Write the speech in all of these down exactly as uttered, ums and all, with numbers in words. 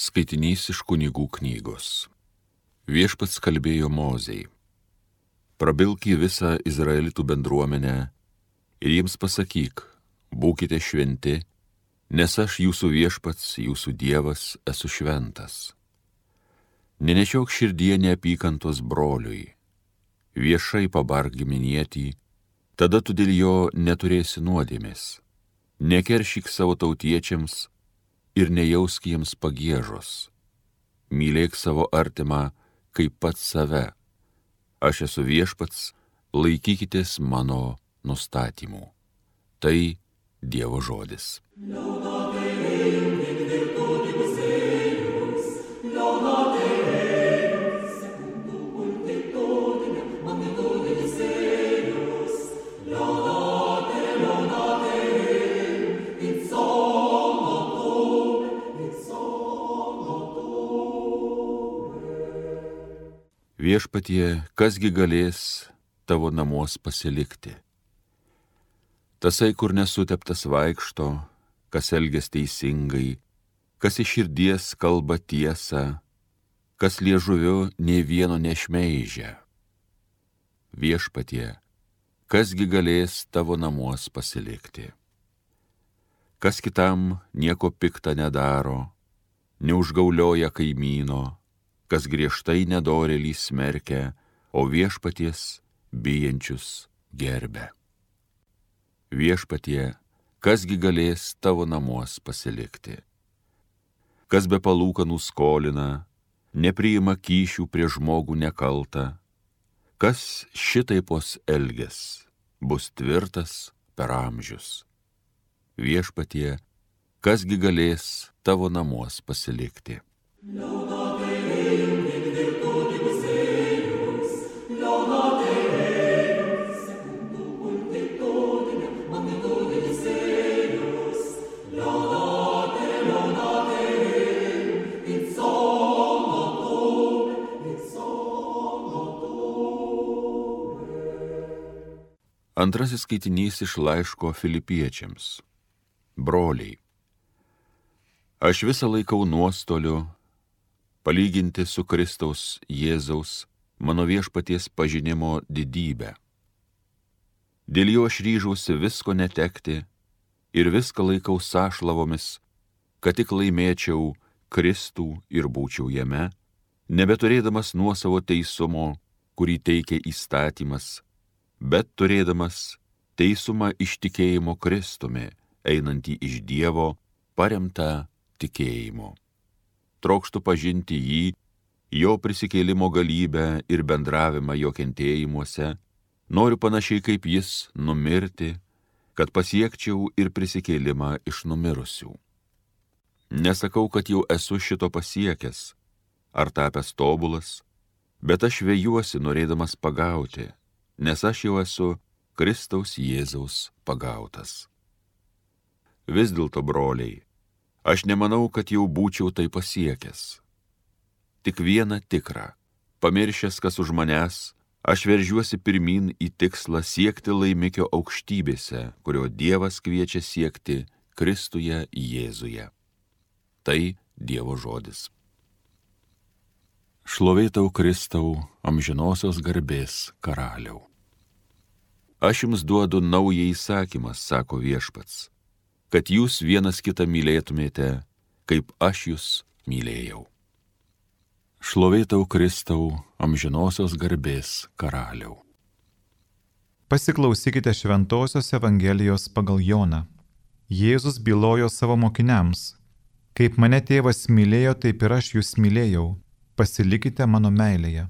Skaitinys iš Kunigų knygos. Viešpats kalbėjo Mozei: prabilk į visą Izraelitų bendruomenę ir jiems pasakyk: būkite šventi, nes aš jūsų viešpats, jūsų Dievas, esu šventas. Nenešiok širdyje neapykantos broliui, viešai pabark giminietį, tada tu dėl jo neturėsi nuodėmės. Nekeršyk savo tautiečiams ir nejausk jiems pagiežos. Mylėk savo artimą kaip pats save. Aš esu viešpats, laikykitės mano nustatymų. Tai Dievo žodis. Viešpatie, kasgi galės tavo namuos pasilikti? Tasai, kur nesuteptas vaikšto, kas elgias teisingai, kas iš širdies kalba tiesą, kas liežuviu nė vieno nešmeižia. Viešpatie, kasgi galės tavo namuos pasilikti? Kas kitam nieko pikta nedaro, neužgaulioja kaimyno, kas griežtai nedorėlį smerkia, o viešpaties bijančius gerbia. Viešpatie, kasgi galės tavo namuos pasilikti? Kas be palūkanų skolina, nepriima kyšių prie žmogų nekaltą, kas šitaipos elges, bus tvirtas per amžius. Viešpatie, kasgi galės tavo namuos pasilikti? Antrasis skaitinys iš laiško Filipiečiams. Broliai, aš visą laikau nuostoliu palyginti su Kristaus Jėzaus, mano viešpaties pažinimo didybę. Dėl jo aš ryžausi visko netekti ir viską laikau sąšlavomis, kad tik laimėčiau Kristų ir būčiau jame, nebeturėdamas nuosavo teisumo, kurį teikia įstatymas, bet turėdamas teisumą iš tikėjimo Kristumi, einantį iš Dievo, paremtą tikėjimu. Trokštu pažinti jį, jo prisikėlimo galybę ir bendravimą jo kentėjimuose, noriu panašiai kaip jis numirti, kad pasiekčiau ir prisikėlimą iš numirusių. Nesakau, kad jau esu šito pasiekęs, ar tapęs tobulas, bet aš vejuosi norėdamas pagauti, nes aš jau esu Kristaus Jėzaus pagautas. Vis dėlto, broliai, aš nemanau, kad jau būčiau tai pasiekęs. Tik viena tikra, pamiršęs, kas už manęs, aš veržiuosi pirmin į tikslą siekti laimikio aukštybėse, kurio Dievas kviečia siekti Kristuje Jėzuje. Tai Dievo žodis. Šlovė tau, Kristau, amžinosios garbės karaliau. Aš jums duodu naują įsakymą, sako viešpats, kad jūs vienas kitą mylėtumėte, kaip aš jūs mylėjau. Šlovė tau, Kristau, amžinosios garbės karaliau. Pasiklausykite šventosios Evangelijos pagal Joną. Jėzus bylojo savo mokiniams: kaip mane tėvas mylėjo, taip ir aš jūs mylėjau. Pasilikite mano meilėje.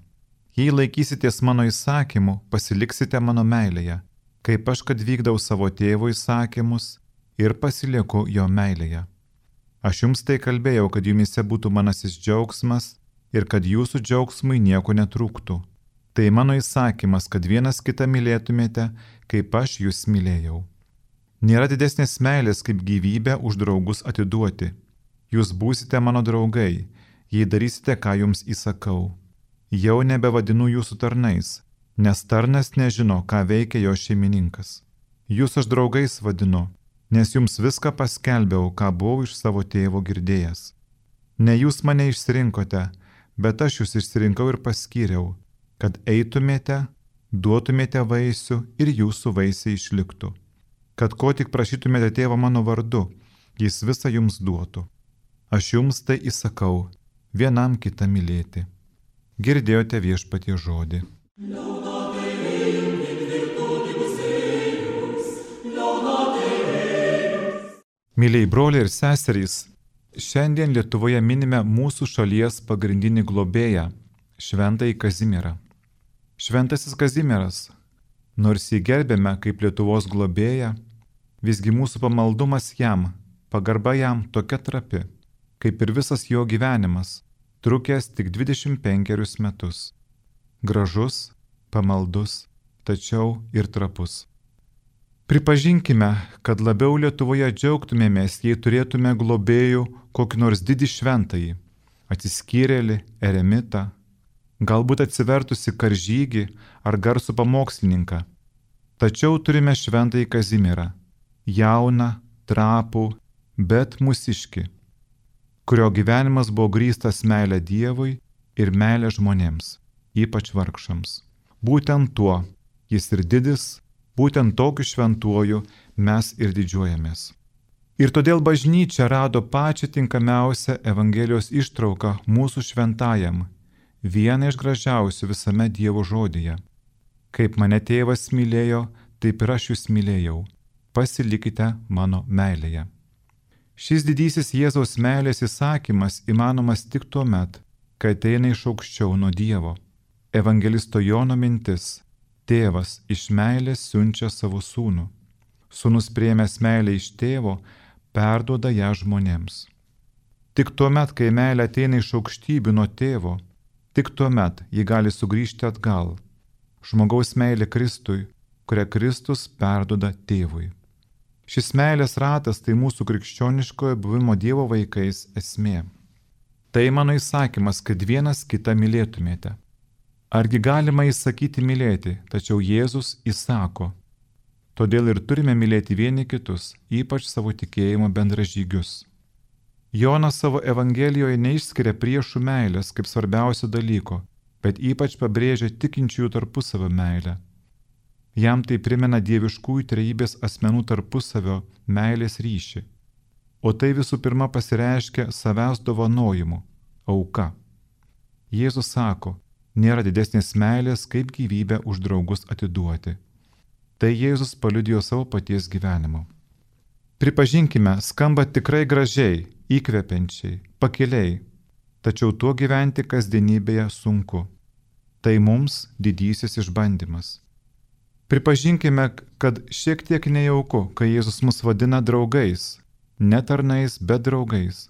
Jei laikysitės mano įsakymų, pasiliksite mano meilėje, kaip aš, kad vykdau savo tėvo įsakymus ir pasilieku jo meilėje. Aš jums tai kalbėjau, kad jumise būtų manasis džiaugsmas ir kad jūsų džiaugsmui nieko netrūktų. Tai mano įsakymas, kad vienas kitą mylėtumėte, kaip aš jūs mylėjau. Nėra didesnės meilės, kaip gyvybę už draugus atiduoti. Jūs būsite mano draugai, jei darysite, ką jums įsakau. Jau nebevadinu jūsų tarnais, nes tarnas nežino, ką veikia jo šeimininkas. Jūs aš draugais vadinu, nes jums viską paskelbiau, ką buvau iš savo tėvo girdėjęs. Ne jūs mane išsirinkote, bet aš jūs išsirinkau ir paskyriau, kad eitumėte, duotumėte vaisių ir jūsų vaisiai išliktų. Kad ko tik prašytumėte tėvą mano vardu, jis visą jums duotų. Aš jums tai įsakau, vienam kitą mylėti. Girdėjote Viešpaties žodį. Mėlyjei broliai ir seserys, šiandien Lietuvoje minime mūsų šalies pagrindinį globėją, šventąjį Kazimierą. Šventasis Kazimieras, nors jį gerbėme kaip Lietuvos globėją, visgi mūsų pamaldumas jam, pagarba jam tokia trapi, kaip ir visas jo gyvenimas, trukęs tik dvidešimt penkerius metus. Gražus, pamaldus, tačiau ir trapus. Pripažinkime, kad labiau Lietuvoje džiaugtumėmės, jei turėtume globėjų kokį nors didį šventąjį, atsiskyrėlį, eremitą, galbūt atsivertusi karžygį ar garsų pamokslininką. Tačiau turime šventąjį Kazimierą, jauną, trapų, bet mūsiškį, kurio gyvenimas buvo grįstas meilė Dievui ir meilė žmonėms, ypač vargšams. Būtent tuo jis ir didis, būtent tokiu šventuoju mes ir didžiuojamės. Ir todėl bažnyčia rado pačią tinkamiausią Evangelijos ištrauką mūsų šventajam, vieną iš gražiausių visame Dievo žodyje. Kaip mane tėvas mylėjo, taip ir aš jūs mylėjau. Pasilikite mano meilėje. Šis didysis Jėzaus meilės įsakymas įmanomas tik tuo met, kai ateina iš aukščiau nuo Dievo. Evangelisto Jono mintis: Tėvas iš meilės siunčia savo sūnų. Sūnus priėmęs meilę iš tėvo, perduoda ją žmonėms. Tik tuo met, kai meilė ateina iš aukštybių nuo tėvo, tik tuo met ji gali sugrįžti atgal. Žmogaus meilė Kristui, kurią Kristus perduoda tėvui. Šis meilės ratas tai mūsų krikščioniškojo buvimo Dievo vaikais esmė. Tai mano įsakymas, kad vienas kitą mylėtumėte. Argi galima įsakyti mylėti, tačiau Jėzus įsako. Todėl ir turime mylėti vieni kitus, ypač savo tikėjimo bendražygius. Jonas savo Evangelijoje neišskiria priešų meilės kaip svarbiausio dalyko, bet ypač pabrėžia tikinčiųjų tarpusavio meilę. Jam tai primena dieviškųjų trejybės asmenų tarpusavio meilės ryšį. O tai visų pirma pasireiškia savęs dovanojimu, auka. Jėzus sako, nėra didesnės meilės, kaip gyvybę už draugus atiduoti. Tai Jėzus paliudijo savo paties gyvenimu. Pripažinkime, skamba tikrai gražiai, įkvepiančiai, pakiliai, tačiau tuo gyventi kasdienybėje sunku. Tai mums didysis išbandymas. Pripažinkime, kad šiek tiek nejauku, kai Jėzus mus vadina draugais, ne tarnais, bet draugais.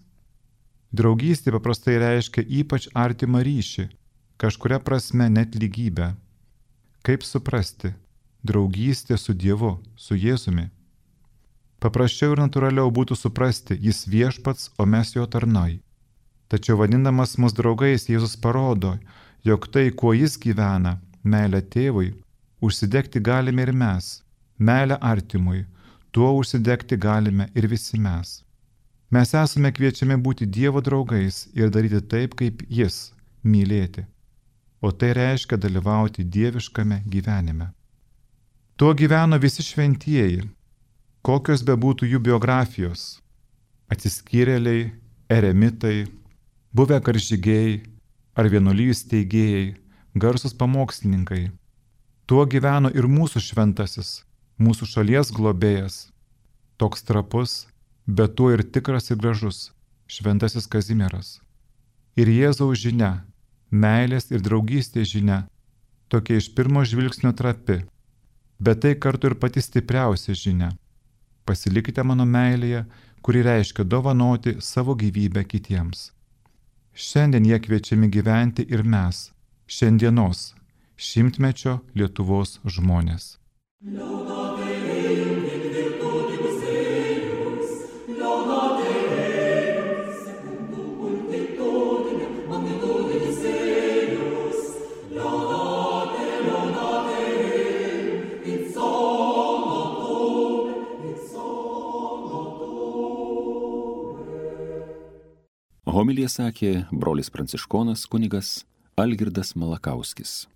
Draugystė paprastai reiškia ypač artimą ryšį, kažkuria prasme net lygybę. Kaip suprasti? Draugystė su Dievu, su Jėzumi. Paprasčiau ir natūraliau būtų suprasti, jis viešpats, o mes jo tarnai. Tačiau vadindamas mus draugais, Jėzus parodo, jog tai, kuo jis gyvena, meilę tėvui, užsidegti galime ir mes, meilę artimui, tuo užsidegti galime ir visi mes. Mes esame kviečiami būti Dievo draugais ir daryti taip, kaip jis, mylėti. O tai reiškia dalyvauti dieviškame gyvenime. Tuo gyveno visi šventieji, kokios bebūtų jų biografijos – atsiskyrėliai, eremitai, buvę karžygiai ar vienuolijų steigėjai, garsūs pamokslininkai. Tuo gyveno ir mūsų šventasis, mūsų šalies globėjas, toks trapus, bet tuo ir tikras ir gražus, šventasis Kazimieras. Ir Jėzaus žinia, meilės ir draugystės žinia, tokia iš pirmo žvilgsnio trapi, bet tai kartu ir pati stipriausia žinia. Pasilikite mano meilėje, kuri reiškia dovanoti savo gyvybę kitiems. Šiandien jie kviečiami gyventi ir mes, šiandienos, šimtmečio Lietuvos žmonės. Homiliją sakė brolis pranciškonas kunigas Algirdas Malakauskis.